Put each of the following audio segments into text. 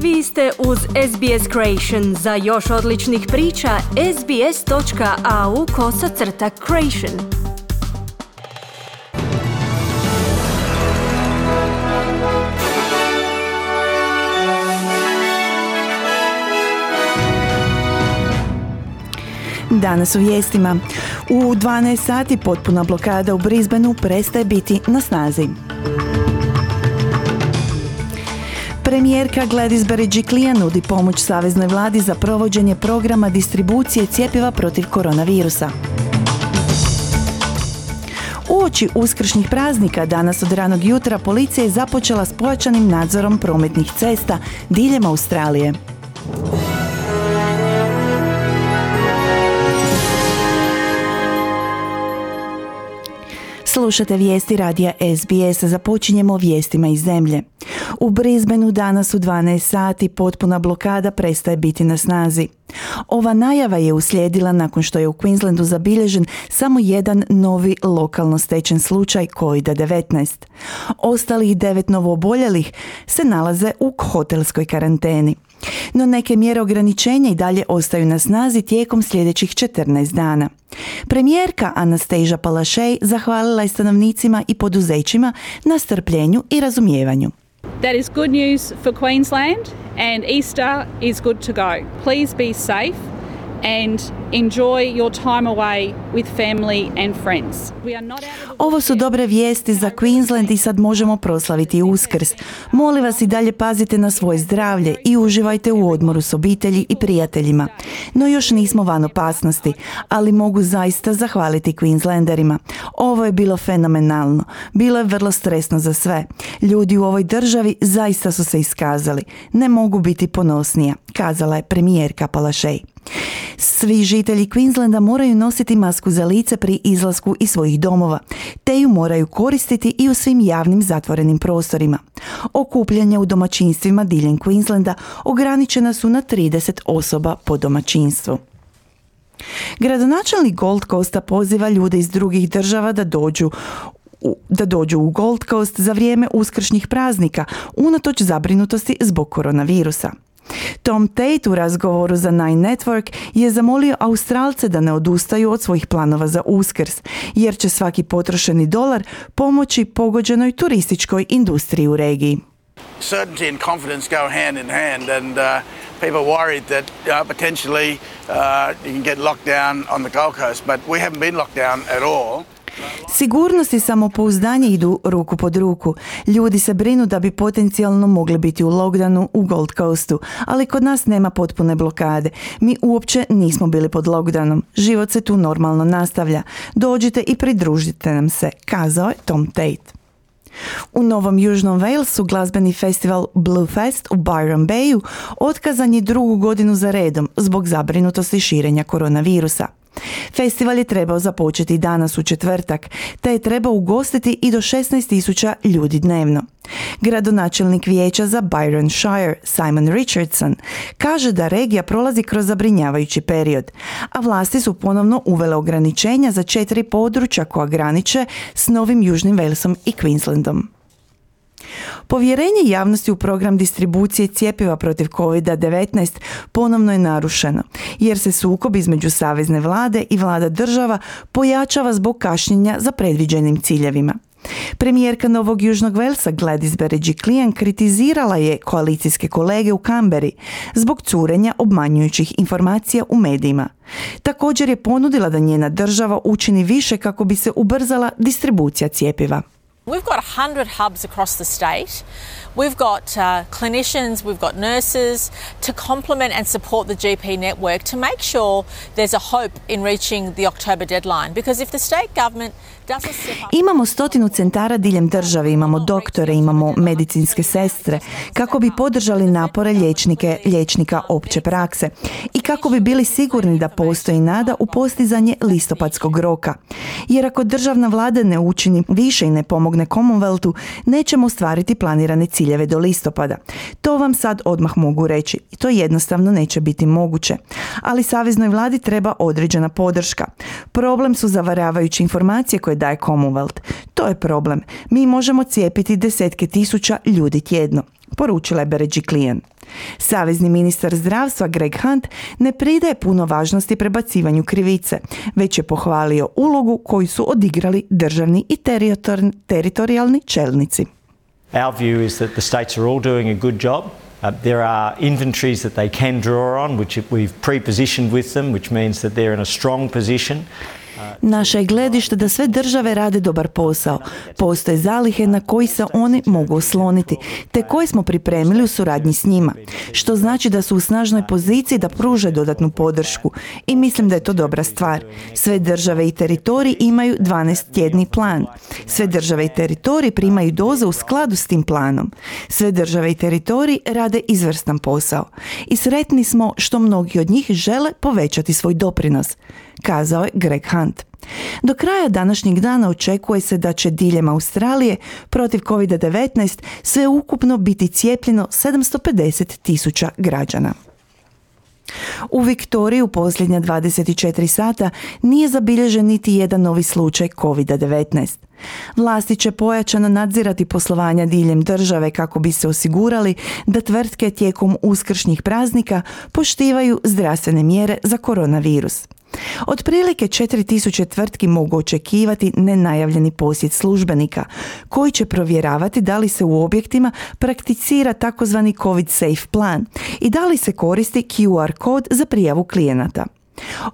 Vi ste uz SBS Creation. Za još odličnih priča, sbs.au/creation. Danas u vijestima. U 12 sati potpuna blokada u Brisbaneu prestaje biti na snazi. Premijerka Gladys Berejiklian nudi pomoć saveznoj vladi za provođenje programa distribucije cjepiva protiv koronavirusa. Uoči uskršnjih praznika danas od ranog jutra policija je započela s pojačanim nadzorom prometnih cesta diljem Australije. Slušate vijesti radija SBS, započinjemo vijestima iz zemlje. U Brisbaneu danas u 12 sati potpuna blokada prestaje biti na snazi. Ova najava je uslijedila nakon što je u Queenslandu zabilježen samo jedan novi lokalno stečen slučaj COVID-19. Ostalih 9 novooboljelih se nalaze u hotelskoj karanteni. No neke mjere ograničenja i dalje ostaju na snazi tijekom sljedećih 14 dana. Premijerka Anastasia Palaszczuk zahvalila je stanovnicima i poduzećima na strpljenju i razumijevanju. That is good news for Queensland and Easter is good to go. Please be safe and enjoy your time away with family and friends. Ovo su dobre vijesti za Queensland i sad možemo proslaviti Uskrs. Molim vas i dalje pazite na svoje zdravlje i uživajte u odmoru s obitelji i prijateljima. No još nismo van opasnosti, ali mogu zaista zahvaliti Queenslanderima. Ovo je bilo fenomenalno. Bilo je vrlo stresno za sve. Ljudi u ovoj državi zaista su se iskazali. Ne mogu biti ponosnija, kazala je premijerka Palaszczuk. Svi žitelji Queenslanda moraju nositi masku za lice pri izlasku iz svojih domova, te ju moraju koristiti i u svim javnim zatvorenim prostorima. Okupljanja u domaćinstvima diljem Queenslanda ograničena su na 30 osoba po domaćinstvu. Gradonačelnik Gold Coasta poziva ljude iz drugih država da dođu u Gold Coast za vrijeme uskršnjih praznika, unatoč zabrinutosti zbog koronavirusa. Tom Tate u razgovoru za Nine Network je zamolio Australce da ne odustaju od svojih planova za Uskrs, jer će svaki potrošeni dolar pomoći pogođenoj turističkoj industriji u regiji. Certainty and confidence go hand in hand, and people are worried that potentially you can get locked down on the Gold Coast, but we haven't been locked down at all. Sigurnost i samopouzdanje idu ruku pod ruku. Ljudi se brinu da bi potencijalno mogli biti u lockdownu u Gold Coastu, ali kod nas nema potpune blokade. Mi uopće nismo bili pod lockdownom. Život se tu normalno nastavlja. Dođite i pridružite nam se, kazao je Tom Tate. U Novom Južnom Walesu glazbeni festival Bluefest u Byron Bayu otkazan je 2. godinu za redom zbog zabrinutosti širenja koronavirusa. Festival je trebao započeti danas u četvrtak, te je trebao ugostiti i do 16,000 ljudi dnevno. Gradonačelnik vijeća za Byron Shire, Simon Richardson, kaže da regija prolazi kroz zabrinjavajući period, a vlasti su ponovno uvele ograničenja za 4 područja koja graniče s Novim Južnim Walesom i Queenslandom. Povjerenje javnosti u program distribucije cjepiva protiv COVID-19 ponovno je narušeno, jer se sukob između savezne vlade i vlada država pojačava zbog kašnjenja za predviđenim ciljevima. Premijerka Novog Južnog Walesa Gladys Berejiklian kritizirala je koalicijske kolege u Canberri zbog curenja obmanjujućih informacija u medijima. Također je ponudila da njena država učini više kako bi se ubrzala distribucija cjepiva. We've got 100 hubs across the state. We've got clinicians, we've got nurses to complement and support the GP network to make sure there's a hope in reaching the October deadline. Because if the state government doesn't step up... Imamo 100 centara diljem države, imamo doktore, imamo medicinske sestre, kako bi podržali napore liječnika opće prakse i kako bi bili sigurni da postoji nada u postizanje listopadskog roka. Jer ako državna vlada ne učini više i ne pomogne Commonwealthu, nećemo ostvariti planirane ciljeve do listopada. To vam sad odmah mogu reći. To jednostavno neće biti moguće. Ali saveznoj vladi treba određena podrška. Problem su zavaravajuće informacije koje daje Commonwealth. To je problem. Mi možemo cijepiti 10,000 ljudi tjedno. poručila je Berejiklian. Savezni ministar zdravstva Greg Hunt ne pridaje puno važnosti prebacivanju krivice, već je pohvalio ulogu koju su odigrali državni i teritorijalni čelnici. Our view is that the states are all doing a good job. There are inventories that they can draw on, which we've pre-positioned with them, which means that they're in a strong position. Naše je gledište da sve države rade dobar posao. Postoje zalihe na koji se oni mogu osloniti, te koje smo pripremili u suradnji s njima, što znači da su u snažnoj poziciji da pruže dodatnu podršku i mislim da je to dobra stvar. Sve države i teritoriji imaju 12-tjedni plan. Sve države i teritoriji primaju doze u skladu s tim planom. Sve države i teritoriji rade izvrstan posao. I sretni smo što mnogi od njih žele povećati svoj doprinos, kazao je Greg Hunt. Do kraja današnjeg dana očekuje se da će diljem Australije protiv COVID-19 sve ukupno biti cijepljeno 750,000 građana. U Viktoriji u posljednja 24 sata nije zabilježen niti jedan novi slučaj COVID-19. Vlasti će pojačano nadzirati poslovanja diljem države kako bi se osigurali da tvrtke tijekom uskršnjih praznika poštivaju zdravstvene mjere za koronavirus. Otprilike 4.000 tvrtki mogu očekivati nenajavljeni posjet službenika koji će provjeravati da li se u objektima prakticira takozvani COVID safe plan i da li se koristi QR kod za prijavu klijenata.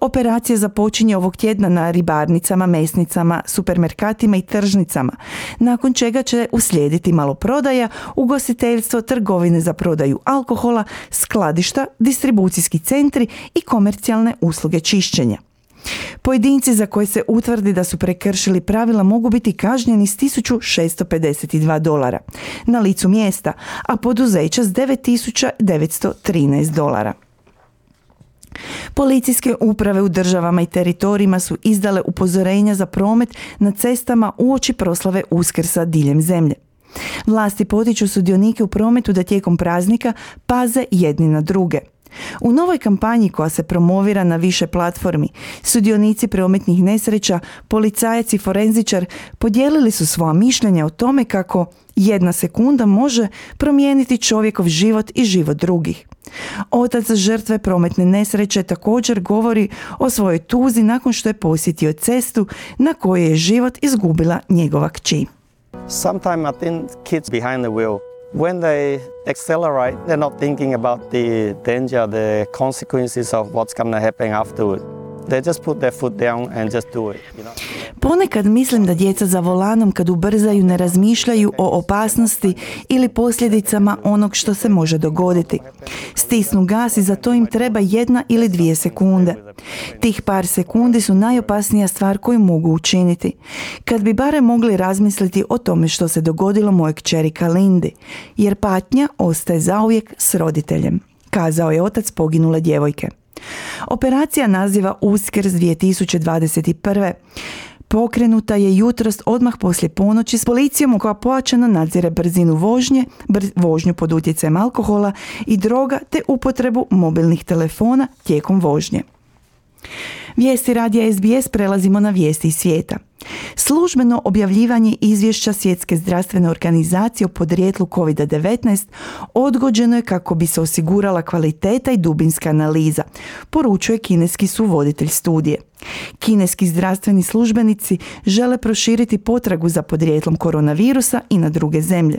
Operacija započinje ovog tjedna na ribarnicama, mesnicama, supermerkatima i tržnicama, nakon čega će uslijediti maloprodaja, ugostiteljstvo, trgovine za prodaju alkohola, skladišta, distribucijski centri i komercijalne usluge čišćenja. Pojedinci za koje se utvrdi da su prekršili pravila mogu biti kažnjeni s $1.652 na licu mjesta, a poduzeća s $9.913. Policijske uprave u državama i teritorijima su izdale upozorenja za promet na cestama uoči proslave Uskrsa diljem zemlje. Vlasti potiču sudionike u prometu da tijekom praznika paze jedni na druge. U novoj kampanji koja se promovira na više platformi, sudionici prometnih nesreća, policajac i forenzičar podijelili su svoja mišljenja o tome kako 1 sekunda može promijeniti čovjekov život i život drugih. Otac žrtve prometne nesreće također govori o svojoj tuzi nakon što je posjetio cestu na kojoj je život izgubila njegova kći. Sometimes I think kids behind the wheel, when they accelerate, they're not thinking about the danger, the consequences of what's going to happen afterward. They just put their foot down and just do it, you know? Ponekad mislim da djeca za volanom kad ubrzaju ne razmišljaju o opasnosti ili posljedicama onog što se može dogoditi. Stisnu gas i za to im treba 1 ili 2 sekunde. Tih par sekundi su najopasnija stvar koju mogu učiniti. Kad bi barem mogli razmisliti o tome što se dogodilo mojoj kćeri Kalindi, jer patnja ostaje zauvijek s roditeljem, kazao je otac poginule djevojke. Operacija naziva Uskrs 2021. Pokrenuta je jutros odmah poslije ponoći s policijom koja pojačano nadzire brzinu vožnje, vožnju pod utjecajem alkohola i droga te upotrebu mobilnih telefona tijekom vožnje. Vijesti radija SBS prelazimo na vijesti iz svijeta. Službeno objavljivanje izvješća Svjetske zdravstvene organizacije o podrijetlu COVID-19 odgođeno je kako bi se osigurala kvaliteta i dubinska analiza, poručuje kineski suvoditelj studije. Kineski zdravstveni službenici žele proširiti potragu za podrijetlom koronavirusa i na druge zemlje.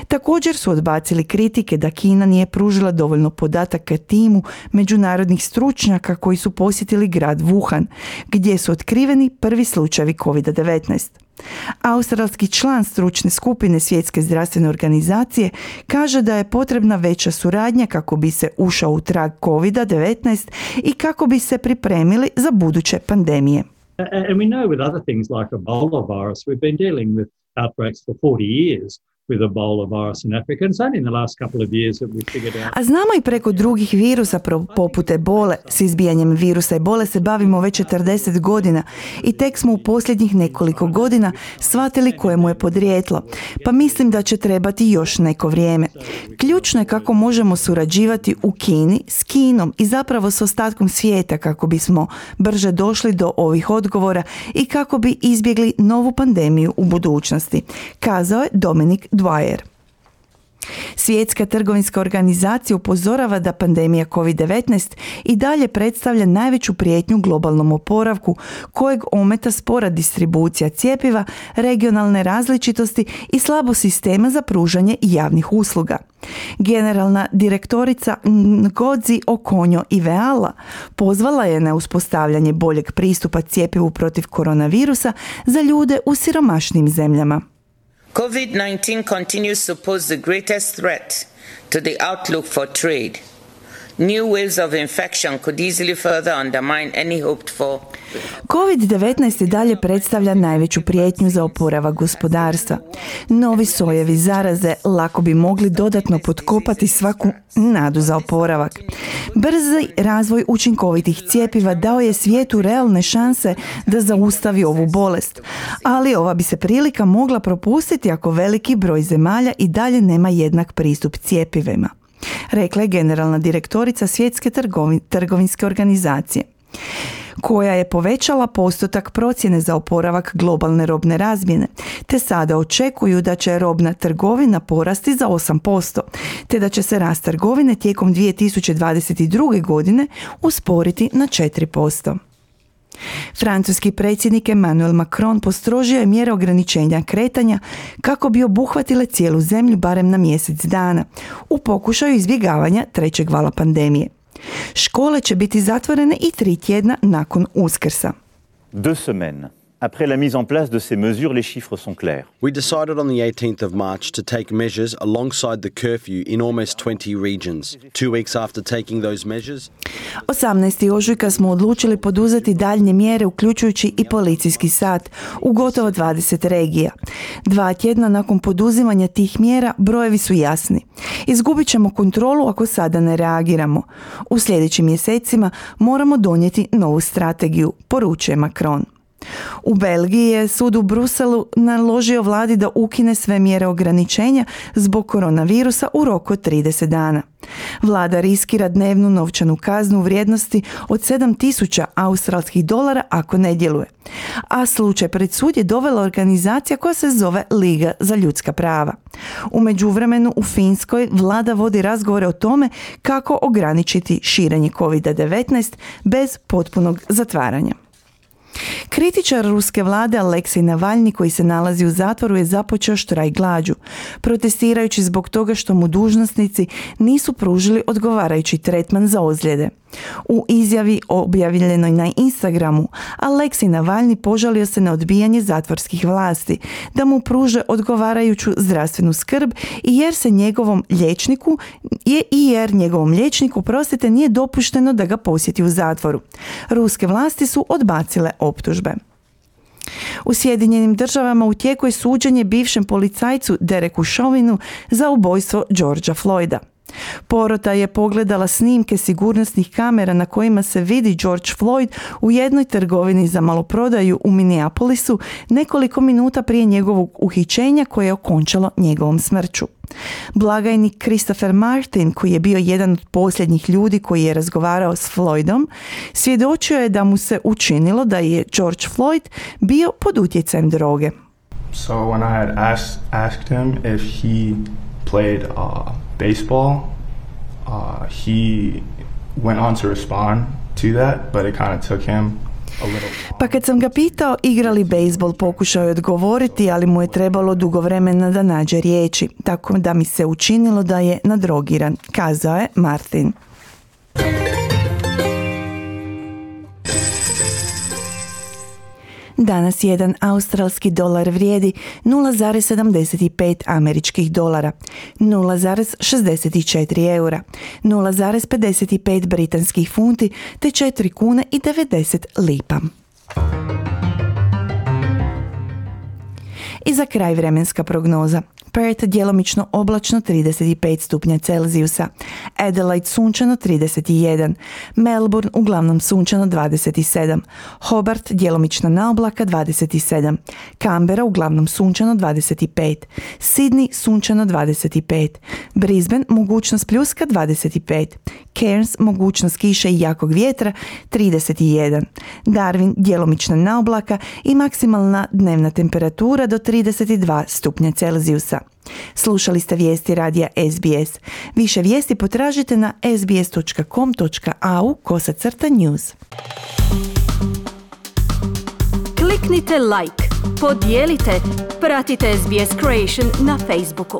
Također su odbacili kritike da Kina nije pružila dovoljno podataka timu međunarodnih stručnjaka koji su posjetili grad Wuhan, gdje su otkriveni prvi slučajevi COVID-19. Australski član stručne skupine Svjetske zdravstvene organizacije kaže da je potrebna veća suradnja kako bi se ušao u trag COVID-19 i kako bi se pripremili za buduće pandemije. And we know with other things like Ebola virus, we've been dealing with outbreaks for 40 years. With Ebola virus in Africa. It's only in the last couple of years that we figured out. A znamo i preko drugih virusa poput ebole. S izbijanjem virusa ebole se bavimo već 40 godina i tek smo u posljednjih nekoliko godina shvatili kojemu je podrijetlo. Pa mislim da će trebati još neko vrijeme. Ključno je kako možemo surađivati u Kini s Kinom i zapravo s ostatkom svijeta kako bismo brže došli do ovih odgovora i kako bi izbjegli novu pandemiju u budućnosti, kazao je Dominic Dwyer. Svjetska trgovinska organizacija upozorava da pandemija COVID-19 i dalje predstavlja najveću prijetnju globalnom oporavku, kojeg ometa spora distribucija cjepiva, regionalne različitosti i slabo sistema za pružanje javnih usluga. Generalna direktorica Ngozi Okonjo-Iweala pozvala je na uspostavljanje boljeg pristupa cjepivu protiv koronavirusa za ljude u siromašnim zemljama. COVID-19 continues to pose the greatest threat to the outlook for trade. New waves of infection could easily further undermine any hoped for. COVID-19 i dalje predstavlja najveću prijetnju za oporavak gospodarstva. Novi sojevi zaraze lako bi mogli dodatno potkopati svaku nadu za oporavak. Brzi razvoj učinkovitih cjepiva dao je svijetu realne šanse da zaustavi ovu bolest, ali ova bi se prilika mogla propustiti ako veliki broj zemalja i dalje nema jednak pristup cjepivima, rekla je generalna direktorica Svjetske trgovinske organizacije, koja je povećala postotak procjene za oporavak globalne robne razmjene, te sada očekuju da će robna trgovina porasti za 8%, te da će se rast trgovine tijekom 2022. godine usporiti na 4%. Francuski predsjednik Emmanuel Macron postrožio je mjere ograničenja kretanja kako bi obuhvatile cijelu zemlju barem na mjesec dana, u pokušaju izbjegavanja trećeg vala pandemije. Škole će biti zatvorene i 3 tjedna nakon Uskrsa. 2 semaines après la mise en place de ces mesures, les chiffres sont clairs. We decided on the 18th of March to take measures alongside the curfew in almost 20 regions. 2 weeks after taking those measures, 18. ožujka smo odlučili poduzeti daljnje mjere uključujući i policijski sat u gotovo 20 regija. 2 tjedna nakon poduzimanja tih mjera brojevi su jasni. Izgubit ćemo kontrolu ako sada ne reagiramo. U sljedećim mjesecima moramo donijeti novu strategiju, poručuje Macron. U Belgiji je sud u Bruselu naložio vladi da ukine sve mjere ograničenja zbog koronavirusa u roku od 30 dana. Vlada riskira dnevnu novčanu kaznu u vrijednosti od 7.000 australskih dolara ako ne djeluje. A slučaj pred sud je dovela organizacija koja se zove Liga za ljudska prava. U međuvremenu u Finskoj vlada vodi razgovore o tome kako ograničiti širenje COVID-19 bez potpunog zatvaranja. Kritičar ruske vlade Aleksej Navalni, koji se nalazi u zatvoru, je započeo štrajk glađu, protestirajući zbog toga što mu dužnosnici nisu pružili odgovarajući tretman za ozljede. U izjavi objavljenoj na Instagramu, Aleksej Navalni požalio se na odbijanje zatvorskih vlasti da mu pruže odgovarajuću zdravstvenu skrb i jer njegovom liječniku nije dopušteno da ga posjeti u zatvoru. Ruske vlasti su odbacile optužbe. U Sjedinjenim Državama u tijeku je suđenje bivšem policajcu Dereku Chauvinu za ubojstvo Georgea Floyda. Porota je pogledala snimke sigurnosnih kamera na kojima se vidi George Floyd u jednoj trgovini za maloprodaju u Minneapolisu nekoliko minuta prije njegovog uhićenja koje je okončalo njegovom smrću. Blagajnik Christopher Martin, koji je bio jedan od posljednjih ljudi koji je razgovarao s Floydom, svjedočio je da mu se učinilo da je George Floyd bio pod utjecajem droge. So when I had asked him if he played baseball, he went on to respond to that, but it kind of took him a little. Pa kad sam ga pitao igra li bejsbol, pokušao je odgovoriti, ali mu je trebalo dugo vremena da nađe riječi, tako da mi se učinilo da je nadrogiran, kazao je Martin. Danas jedan australski dolar vrijedi 0,75 američkih dolara, 0,64 eura, 0,55 britanskih funti te 4 kune i 90 lipa. I za kraj vremenska prognoza. Perth djelomično oblačno 35 stupnja Celzijusa, Adelaide sunčano 31, Melbourne uglavnom sunčano 27, Hobart djelomično na oblaka 27, Canberra uglavnom sunčano 25, Sydney sunčano 25, Brisbane mogućnost pljuska 25, Cairns mogućnost kiše i jakog vjetra 31, Darwin djelomično na oblaka i maksimalna dnevna temperatura do 32 stupnja Celzijusa. Slušali ste vijesti radija SBS. Više vijesti potražite na sbs.com.au/news. Kliknite like, podijelite, pratite SBS Creation na Facebooku.